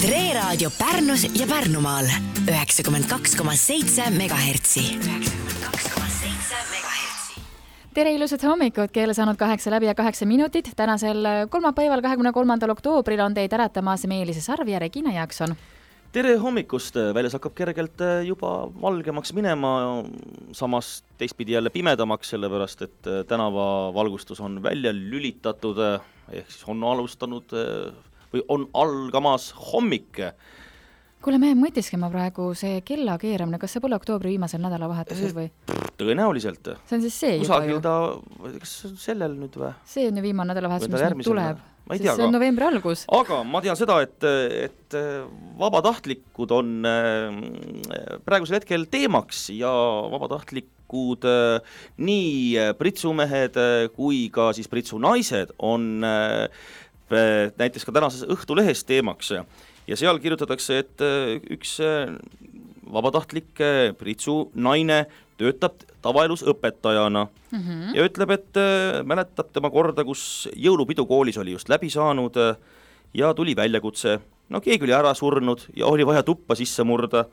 Tre Raadio Pärnus ja Pärnumaal 92,7 MHz. Tere ilusat hommikut, keele saanud 8 läbi ja 8 minutit. Tänasel kolmapäeval 23. oktoobril on teid äratamas Meelise Sarv ja Regina Jaakson. Tere hommikust, väljas hakkab kergelt juba valgemaks minema, samas teistpidi jälle pimedamaks, sellepärast et tänavavalgustus on välja lülitatud, ehk siis on alustanud või on algamas hommik. Kuule, me mõtiskema praegu see kella keeramine, kas see pole oktoobri viimasel nädalavahetusel või? Tõenäoliselt. See on siis see kusagil juba ju. Kas see on sellel nüüd või? See on ju viimane nädalavahetus, mis nüüd tuleb. See on novembri algus. Aga ma tean seda, et vabatahtlikud on praegusel hetkel teemaks ja vabatahtlikud nii pritsumehed kui ka siis pritsunaised on näiteks ka tänases Õhtulehes teemaks ja seal kirjutatakse, et üks vabatahtlik pritsunaine töötab tavaelus õpetajana ja ütleb, et mäletab tema korda, kus jõulupidu koolis oli just läbi saanud ja tuli väljakutse. No keegi oli ära surnud ja oli vaja tuppa sisse murda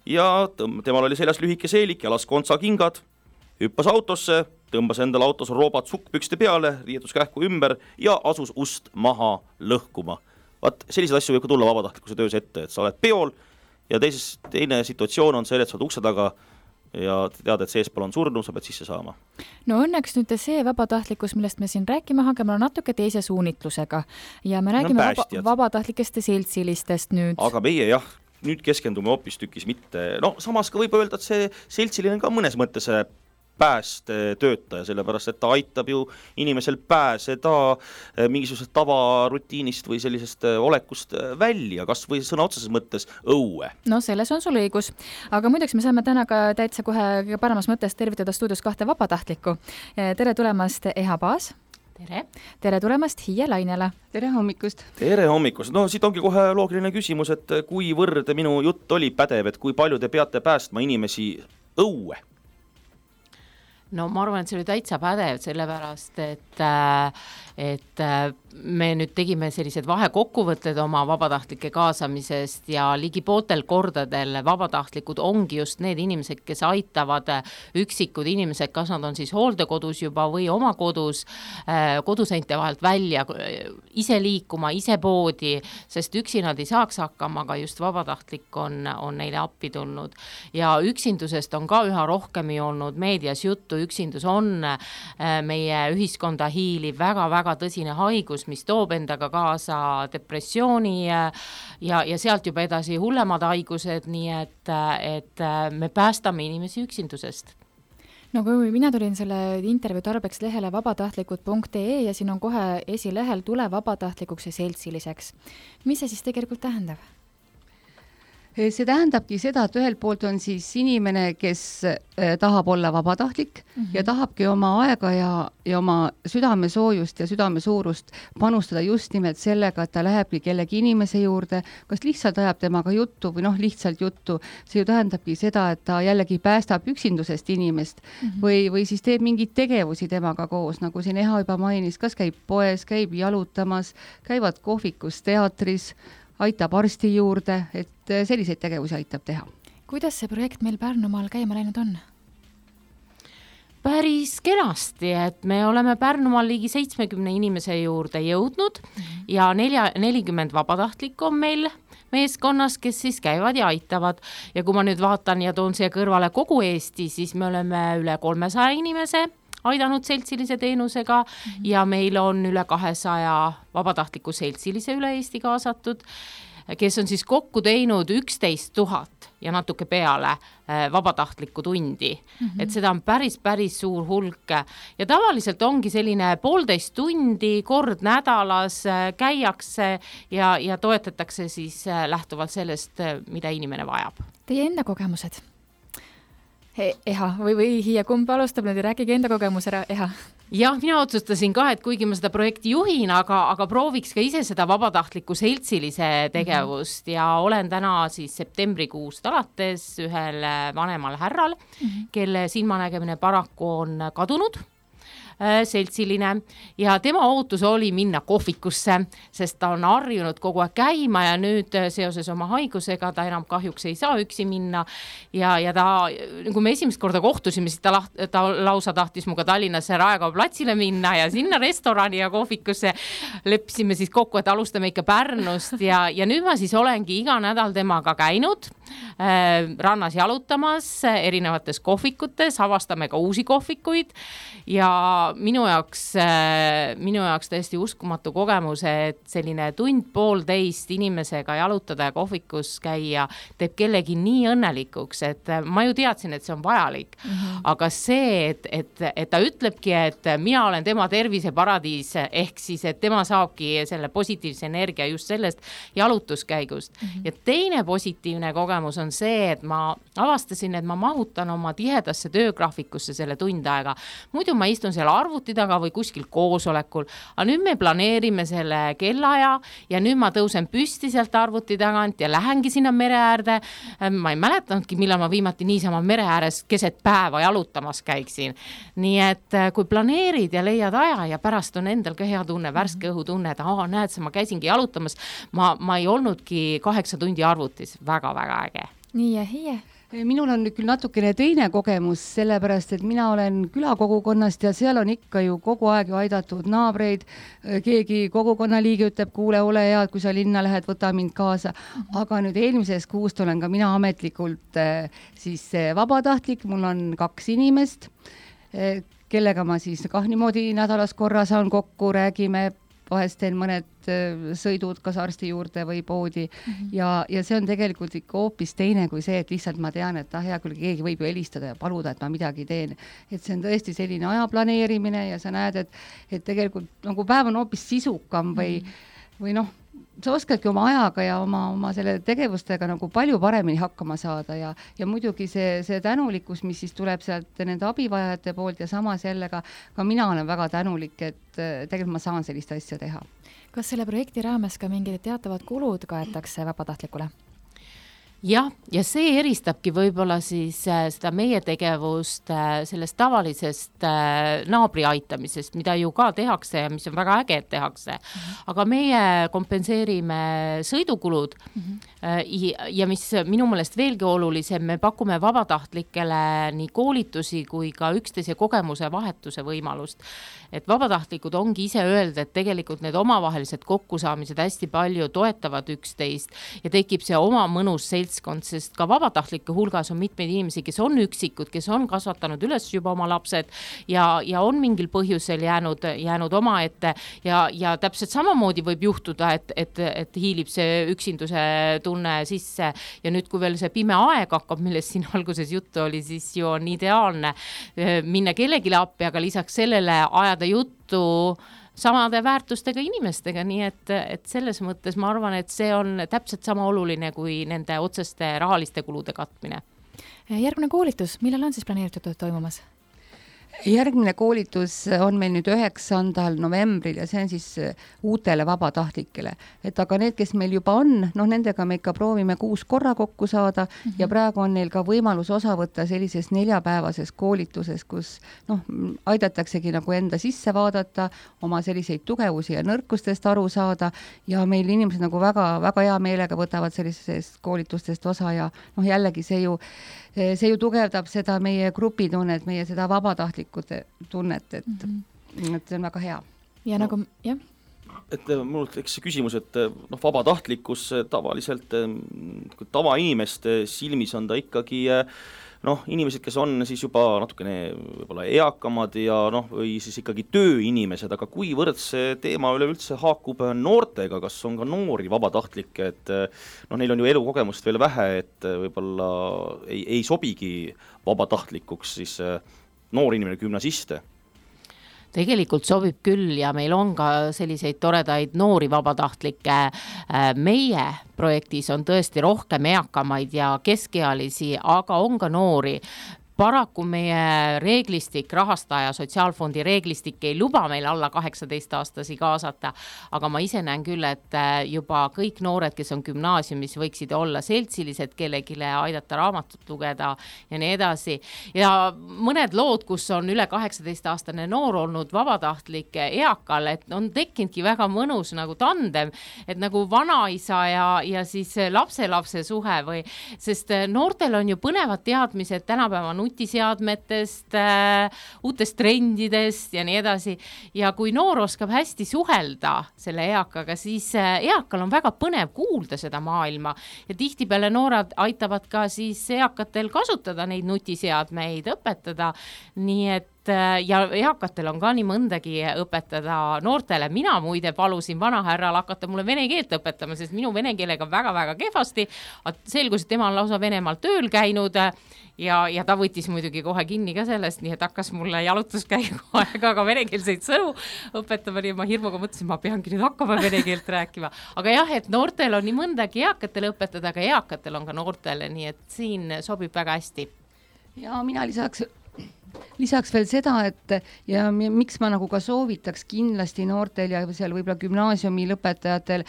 ja temal oli seljas lühike seelik, jalas kontsakingad, hüppas autosse, tõmbas endale autos roobad sukkpükste peale, riietus kähku ümber ja asus ust maha lõhkuma. Vaat selliseid asju võib ka tulla vabatahtlikkuse töös ette, et sa oled peol ja teine situatsioon on see, et sa oled ukse taga ja tead, et seespool on surnu, sa pead sisse saama. No õnneks nüüd see vabatahtlikkus, millest me siin rääkima hakkame, on natuke teise suunitlusega ja me räägime vabatahtlikest ja seltsilistest nüüd. Aga meie jah, nüüd keskendume hoopistükkis mitte, no samas ka võib öelda, et see seltsiline ka mõnes mõttes päästetöötaja, sellepärast, et ta aitab ju inimesel pääseda mingisugusest tavarutiinist või sellisest olekust välja, kas või sõna otseses mõttes õue. No selles on sul õigus, aga muideks me saame täna ka täitsa kohe paremas mõttes tervitada stuudios 2 vabatahtlikku. Tere tulemast, Eha Paas. Tere. Tere tulemast, Hiie Lainele. Tere hommikust. Tere hommikust. No siit ongi kohe loogiline küsimus, et kuivõrd minu jutt oli pädev, et kui palju te peate päästma inimesi õue? No ma arvan, et see oli täitsa pädev, sellepärast, et me nüüd tegime sellised vahekokkuvõtted oma vabatahtlike kaasamisest ja ligi pooltel kordadel vabatahtlikud ongi just need inimesed, kes aitavad üksikud inimesed, kas nad on siis hooldekodus juba või oma kodus, koduseinte vahelt välja, ise liikuma, ise poodi, sest üksi nad ei saaks hakkama, aga just vabatahtlik on neile appi tulnud. Ja üksindusest on ka üha rohkem olnud meedias juttu, üksindus on meie ühiskonda hiiliv väga-väga tõsine haigus, mis toob endaga kaasa depressiooni ja sealt juba edasi hullemad haigused, nii et me päästame inimesi üksindusest. No kui mina tulin selle intervjuu tarbeks lehele vabatahtlikud.ee ja siin on kohe esilehel tule vabatahtlikuks ja seltsiliseks. Mis see siis tegelikult tähendab? See tähendabki seda, et ühelt poolt on siis inimene, kes tahab olla vabatahtlik ja tahabki oma aega ja oma südamesoojust ja südamesuurust panustada just nimelt sellega, et ta lähebki kellegi inimese juurde, kas lihtsalt ajab temaga juttu või lihtsalt juttu. See ju tähendabki seda, et ta jällegi päästab üksindusest inimest või siis teeb mingeid tegevusi temaga koos, nagu siin Eha juba mainis, kas käib poes, käib jalutamas, käivad kohvikus, teatris, aitab arsti juurde, et selliseid tegevusi aitab teha. Kuidas see projekt meil Pärnumaal käima läinud on? Päris kenasti, et me oleme Pärnumaal ligi 70 inimese juurde jõudnud ja 40 vabatahtlikku on meil meeskonnas, kes siis käivad ja aitavad. Ja kui ma nüüd vaatan ja toon siia kõrvale kogu Eesti, siis me oleme üle 300 inimese aidanud seltsilise teenusega ja meil on üle 200 vabatahtliku seltsilise üle Eesti kaasatud, kes on siis kokku teinud 11 000 ja natuke peale vabatahtlikku tundi. Et seda on päris suur hulk ja tavaliselt ongi selline 1,5 tundi kord nädalas käiakse ja toetatakse siis lähtuvalt sellest, mida inimene vajab. Teie enda kogemused? Eha, või Hiie, kumb alustab nüüd ja rääkige enda kogemus ära, Eha? Jah, mina otsustasin ka, et kuigi ma seda projekti juhin, aga prooviks ka ise seda vabatahtliku seltsilise tegevust ja olen täna siis septembrikuust alates ühel vanemal härral, kelle silmanägemine paraku on kadunud. seltsiline ja tema ootus oli minna kohvikusse, sest ta on harjunud kogu aeg käima ja nüüd seoses oma haigusega ta enam kahjuks ei saa üksi minna ja ta, kui me esimest korda kohtusime, siis ta lausa tahtis muga Tallinnasse Raekoja platsile minna ja sinna restorani ja kohvikusse leppisime siis kokku, et alustame ikka Pärnust ja nüüd ma siis olengi iga nädal temaga käinud rannas jalutamas erinevates kohvikutes, avastame ka uusi kohvikuid ja minu jaoks täiesti uskumatu kogemus, et selline tund-poolteist inimesega jalutada ja kohvikus käia teeb kellegi nii õnnelikuks, et ma ju teadsin, et see on vajalik. Aga see, et ta ütlebki, et mina olen tema terviseparadiis, ehk siis, et tema saabki selle positiivse energia just sellest jalutuskäigust. Ja teine positiivne kogemus on see, et ma avastasin, et ma mahutan oma tihedasse töögraafikusse selle tund aega. Muidu ma istun seal arvuti taga või kuskil koosolekul, aga nüüd me planeerime selle kellaaja ja nüüd ma tõusen püsti sealt arvuti tagant ja lähengi sinna mere äärde. Ma ei mäletanudki, millal ma viimati niisama mere ääres keset päeva jalutamas käiksin. Nii et kui planeerid ja leiad aja ja pärast on endal ka hea tunne, värske õhutunne, et näed, ma käisingi jalutamas, ma ei olnudki 8 tundi arvutis, väga-väga äge. Nii ja hie. Minul on küll natukene teine kogemus, sellepärast, et mina olen külakogukonnast ja seal on ikka ju kogu aeg ju aidatud naabreid. Keegi kogukonnaliige ütleb, kuule, ole hea, kui sa linna lähed, võta mind kaasa. Aga nüüd eelmisest kuust olen ka mina ametlikult siis vabatahtlik, mul on 2 inimest, kellega ma siis niimoodi nädalas korra saan kokku, räägime, vahest teen mõned sõidud kas arsti juurde või poodi ja see on tegelikult ikka hoopis teine kui see, et lihtsalt ma tean, et hea küll, keegi võib ju helistada ja paluda, et ma midagi teen. Et see on tõesti selline aja planeerimine ja sa näed, et tegelikult nagu päev on hoopis sisukam või noh, sa oskadki oma ajaga ja oma selle tegevustega nagu palju paremini hakkama saada ja muidugi see tänulikkus, mis siis tuleb sealt nende abivajajate poolt ja samas jälle ka mina olen väga tänulik, et tegelikult ma saan sellist asja teha. Kas selle projekti raames ka mingid teatavad kulud kaetakse vabatahtlikule? Ja see eristabki võib-olla siis seda meie tegevust sellest tavalisest naabri aitamisest, mida ju ka tehakse ja mis on väga äge, et tehakse. Aga meie kompenseerime sõidukulud ja mis minu meelest veelgi olulisem, me pakume vabatahtlikele nii koolitusi kui ka üksteise kogemuse vahetuse võimalust. Et vabatahtlikud ongi ise öelda, et tegelikult need omavahelised kokkusaamised hästi palju toetavad üksteist ja tekib see oma mõnus seltskond, sest ka vabatahtlike hulgas on mitmeid inimesi, kes on üksikud, kes on kasvatanud üles juba oma lapsed ja on mingil põhjusel jäänud oma ette ja täpselt samamoodi võib juhtuda, et hiilib see üksinduse tunne sisse ja nüüd, kui veel see pime aeg hakkab, millest siin alguses juttu oli, siis ju on ideaalne minna kellelegi appi, aga lisaks sellele ajada juttu samade väärtustega inimestega, nii et selles mõttes ma arvan, et see on täpselt sama oluline kui nende otseste rahaliste kulude katmine. Järgmine koolitus, millal on siis planeeritud toimumas? Järgmine koolitus on meil nüüd 9. novembril ja see on siis uutele vabatahtlikele. Et aga need, kes meil juba on, nendega me ikka proovime 6 korra kokku saada ja praegu on neil ka võimalus osa võtta sellises 4-päevases koolituses, kus aidataksegi nagu enda sisse vaadata, oma selliseid tugevusi ja nõrkustest aru saada ja meil inimesed nagu väga, väga hea meelega võtavad sellisest koolitustest osa ja jällegi see ju tugevdab seda meie grupitunnet, meie seda vabatahtlikute tunnet, et see on väga hea. Ja nagu, jah. Et mul tekkis see küsimus, et vabatahtlikkus tavaliselt, tavainimest silmis on ta ikkagi inimesed, kes on siis juba natukene võib-olla eakamad ja või siis ikkagi tööinimesed, aga kuivõrd see teema üleüldse haakub noortega, kas on ka noori vabatahtlikke, et neil on ju elukogemust veel vähe, et võib-olla ei sobigi vabatahtlikuks siis noor inimene gümnasiste? Tegelikult sobib küll ja meil on ka selliseid toredaid noori vabatahtlikke. Meie projektis on tõesti rohkem eakamaid ja keskealisi, aga on ka noori. paraku meie reeglistik, rahastaja sotsiaalfondi reeglistik ei luba meil alla 18-aastasi kaasata, aga ma ise näen küll, et juba kõik noored, kes on gümnaasiumis, võiksid olla seltsilised, kellegile aidata raamatut lugeda ja nii edasi. Ja mõned lood, kus on üle 18-aastane noor olnud vabatahtlik eakal, et on tekkinudki väga mõnus nagu tandem, et nagu vanaisa ja siis lapselapse suhe või, sest noortel on ju põnevad teadmised tänapäeva nutiseadmetest, uutest trendidest ja nii edasi. Ja kui noor oskab hästi suhelda selle eakaga, siis eakal on väga põnev kuulda seda maailma ja tihtipeale noored aitavad ka siis eakatel kasutada neid nutiseadmeid, õpetada, nii et ja eakatel on ka nii mõndagi õpetada noortele. Mina muide palusin vanahärral hakata mulle vene keelt õpetama, sest minu vene keelega väga-väga kehvasti. Selgus, et tema on lausa Venemaal tööl käinud ja ta võttis muidugi kohe kinni ka sellest, nii et hakkas mulle jalutuskäigu aega ka venekeelseid sõnu õpetama, nii ma hirmuga mõtlesin, ma peangi nüüd hakkama vene keelt rääkima. Aga jah, et noortel on nii mõndagi eakatele õpetada, aga eakatel on ka noortele, nii et siin sobib väga hästi. Ja mina lisaks veel seda, et ja miks ma nagu ka soovitaks kindlasti noortel ja seal võib-olla gümnaasiumi lõpetajatel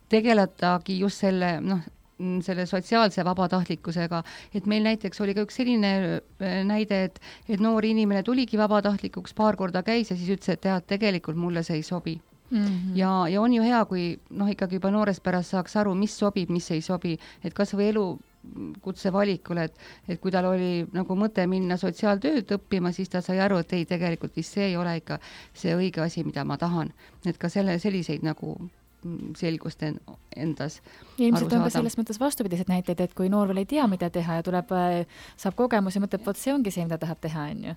tegeletagi just selle sotsiaalse vabatahtlikkusega, et meil näiteks oli ka üks selline näide, et noor inimene tuligi vabatahtlikuks, paar korda käis ja siis ütles, et tead, tegelikult mulle see ei sobi. Mm-hmm. Ja on ju hea, kui ikkagi juba noorest pärast saaks aru, mis sobib, mis ei sobi, et kas või elukutse valikul, et kui tal oli nagu mõte minna sotsiaaltööd õppima, siis ta sai aru, et ei, tegelikult vist see ei ole ikka see õige asi, mida ma tahan. Et ka selliseid nagu selgust endas ilmselt on ka selles mõttes vastupidised näiteid, et kui noor veel ei tea, mida teha ja saab kogemus ja mõtleb, see ongi see, mida tahab teha, on ju.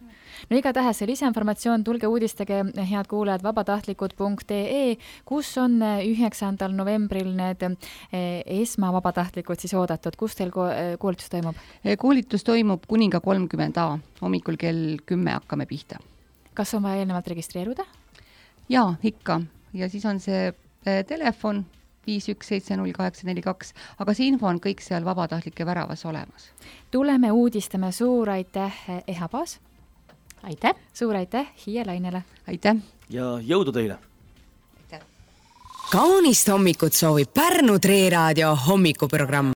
No igatahes see lisainformatsioon, tulge uudistage, head kuulajad, vabatahtlikud.ee, kus on 9. novembril need esmavabatahtlikud siis oodatud. Kus teil koolitus toimub? Koolitus toimub Kuninga 30A, hommikul kell 10 hakkame pihta. Kas on vaja eelnevalt registreeruda? Jaa, ikka. Ja siis on see telefon 5170842, aga see info on kõik seal vabatahtlike väravas olemas. Tuleme uudistame, suur aitäh, Eha Paas. Aitäh. Suur aitäh Hiia Lainele. Aitäh. Ja jõudu teile. Aitäh. Kaunist hommikut soovib Pärnu Tree Raadio hommikuprogramm.